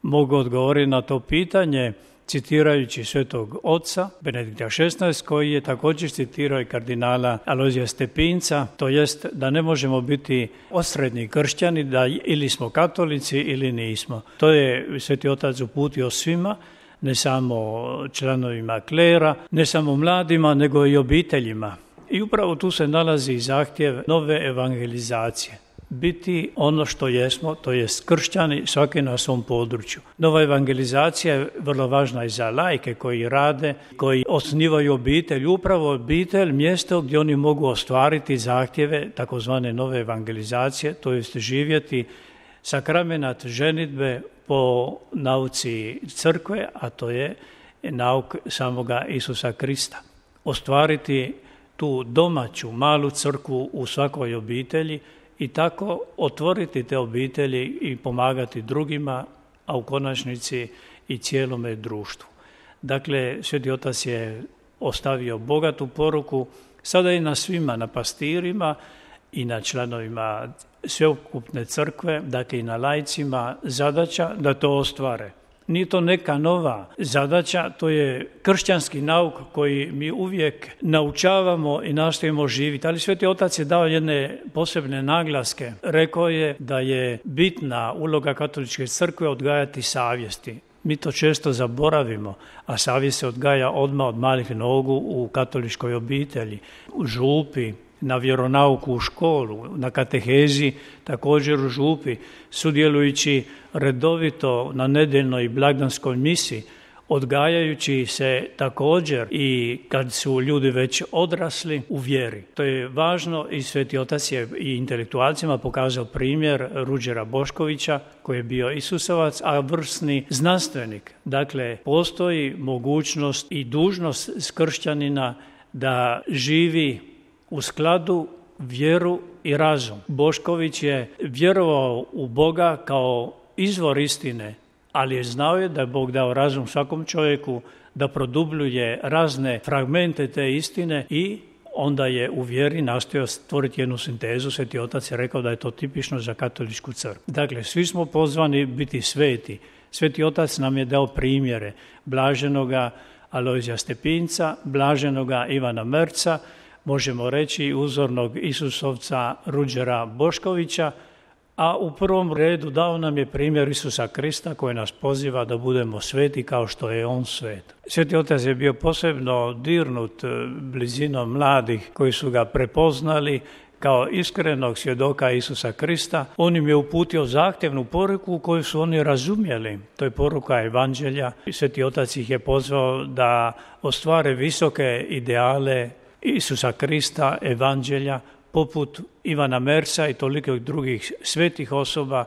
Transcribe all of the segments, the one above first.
mogu odgovoriti na to pitanje citirajući svetog oca Benedikta XVI, koji je također citirao i kardinala Alojzija Stepinca, to jest da ne možemo biti osrednji kršćani, da ili smo katolici ili nismo. To je sveti otac uputio svima, ne samo članovima klera, ne samo mladima, nego i obiteljima. I upravo tu se nalazi zahtjev nove evangelizacije. Biti ono što jesmo, to jest kršćani, svaki na svom području. Nova evangelizacija je vrlo važna i za laike koji rade, koji osnivaju obitelj. Upravo obitelj, mjesto gdje oni mogu ostvariti zahtjeve takozvane nove evangelizacije, to jest živjeti sakramenat ženidbe po nauci crkve, a to je nauk samoga Isusa Krista. Ostvariti tu domaću malu crkvu u svakoj obitelji i tako otvoriti te obitelji i pomagati drugima, a u konačnici i cijelome društvu. Dakle, Sveti Otac je ostavio bogatu poruku, sada i na svima, na pastirima i na članovima sveukupne crkve, dakle i na laicima, zadaća da to ostvare. Nije to neka nova zadaća, to je kršćanski nauk koji mi uvijek naučavamo i nastojimo živjeti. Ali Sveti Otac je dao jedne posebne naglaske. Rekao je da je bitna uloga katoličke crkve odgajati savjesti. Mi to često zaboravimo, a savjest se odgaja odmah od malih nogu u katoličkoj obitelji, u župi, na vjeronauku u školu, na katehezi, također u župi, sudjelujući redovito na nedjeljnoj i blagdanskoj misi, odgajajući se također i kad su ljudi već odrasli u vjeri. To je važno i Sveti Otac je i intelektualcima pokazao primjer Ruđera Boškovića, koji je bio Isusovac, a vrsni znanstvenik. Dakle, postoji mogućnost i dužnost kršćanina da živi u skladu vjeru i razum. Bošković je vjerovao u Boga kao izvor istine, ali je znao da je Bog dao razum svakom čovjeku da produbljuje razne fragmente te istine i onda je u vjeri nastojao stvoriti jednu sintezu. Sveti Otac je rekao da je to tipično za katoličku crkvu. Dakle, svi smo pozvani biti sveti. Sveti Otac nam je dao primjere blaženoga Alojzija Stepinca, blaženoga Ivana Merca, možemo reći uzornog Isusovca Ruđera Boškovića, a u prvom redu dao nam je primjer Isusa Krista koji nas poziva da budemo sveti kao što je On svet. Sveti Otac je bio posebno dirnut blizinom mladih koji su ga prepoznali kao iskrenog svjedoka Isusa Krista. On im je uputio zahtjevnu poruku koju su oni razumjeli. To je poruka Evanđelja. Sveti Otac ih je pozvao da ostvare visoke ideale Isusa Krista, Evanđelja, poput Ivana Merca i toliko drugih svetih osoba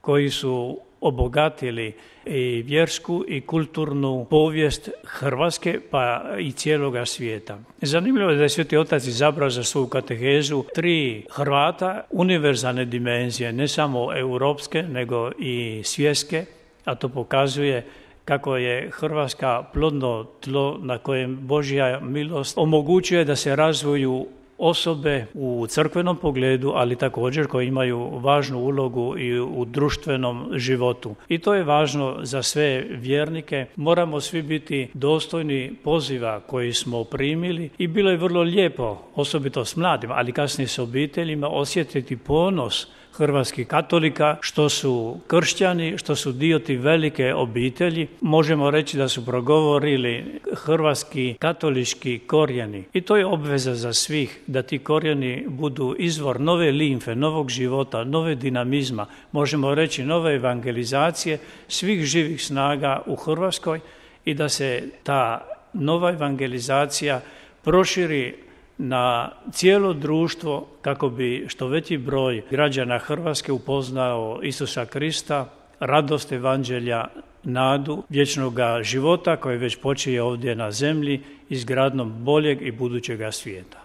koji su obogatili i vjersku i kulturnu povijest Hrvatske pa i cijeloga svijeta. Zanimljivo je da je Sveti Otac izabrao za svoju katehezu 3 Hrvata univerzalne dimenzije, ne samo europske nego i svjetske, a to pokazuje kako je Hrvatska plodno tlo na kojem Božja milost omogućuje da se razvoju osobe u crkvenom pogledu, ali također koji imaju važnu ulogu i u društvenom životu. I to je važno za sve vjernike. Moramo svi biti dostojni poziva koji smo primili i bilo je vrlo lijepo, osobito s mladima, ali kasnije s obiteljima, osjetiti ponos hrvatskih katolika, što su kršćani, što su dio ti velike obitelji. Možemo reći da su progovorili hrvatski katolički korijeni. I to je obveza za svih, da ti korijeni budu izvor nove limfe, novog života, nove dinamizma, možemo reći nove evangelizacije svih živih snaga u Hrvatskoj i da se ta nova evangelizacija proširi na cijelo društvo kako bi što veći broj građana Hrvatske upoznao Isusa Krista, radost Evanđelja, nadu vječnog života koji već počinje ovdje na zemlji izgradnjom boljeg i budućega svijeta.